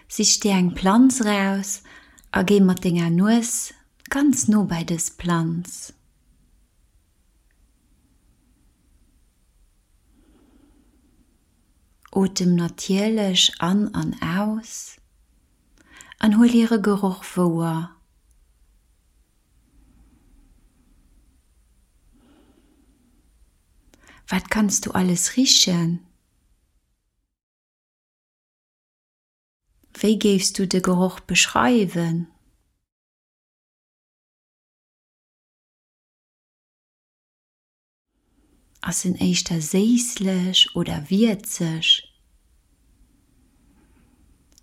Sich dir eng Planz eraus a géi mat denger Nues ganz no bei dës Planz. Otem natierlech an an aus an huel hire Geroch wouer. Wat kanns du alles richen? Wéi géifs du de Geroch beschreiwen? Ass en éischter séisslech oder wierzeg?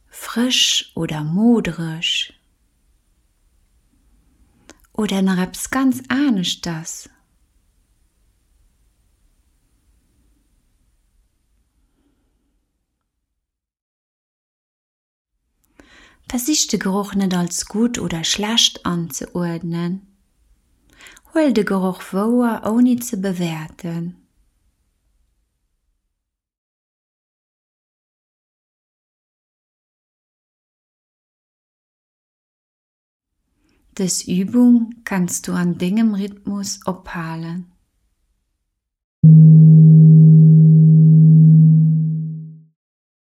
Frësch oder modereg? Oder nach eppes ganz aneschters? Versich de Geroch net als gutt oder schlecht anzeuerdnen. Huel de Geroch wouer ouni ze bewäerten. Dës Übung kanns du an dengem Rhythmus ophalen.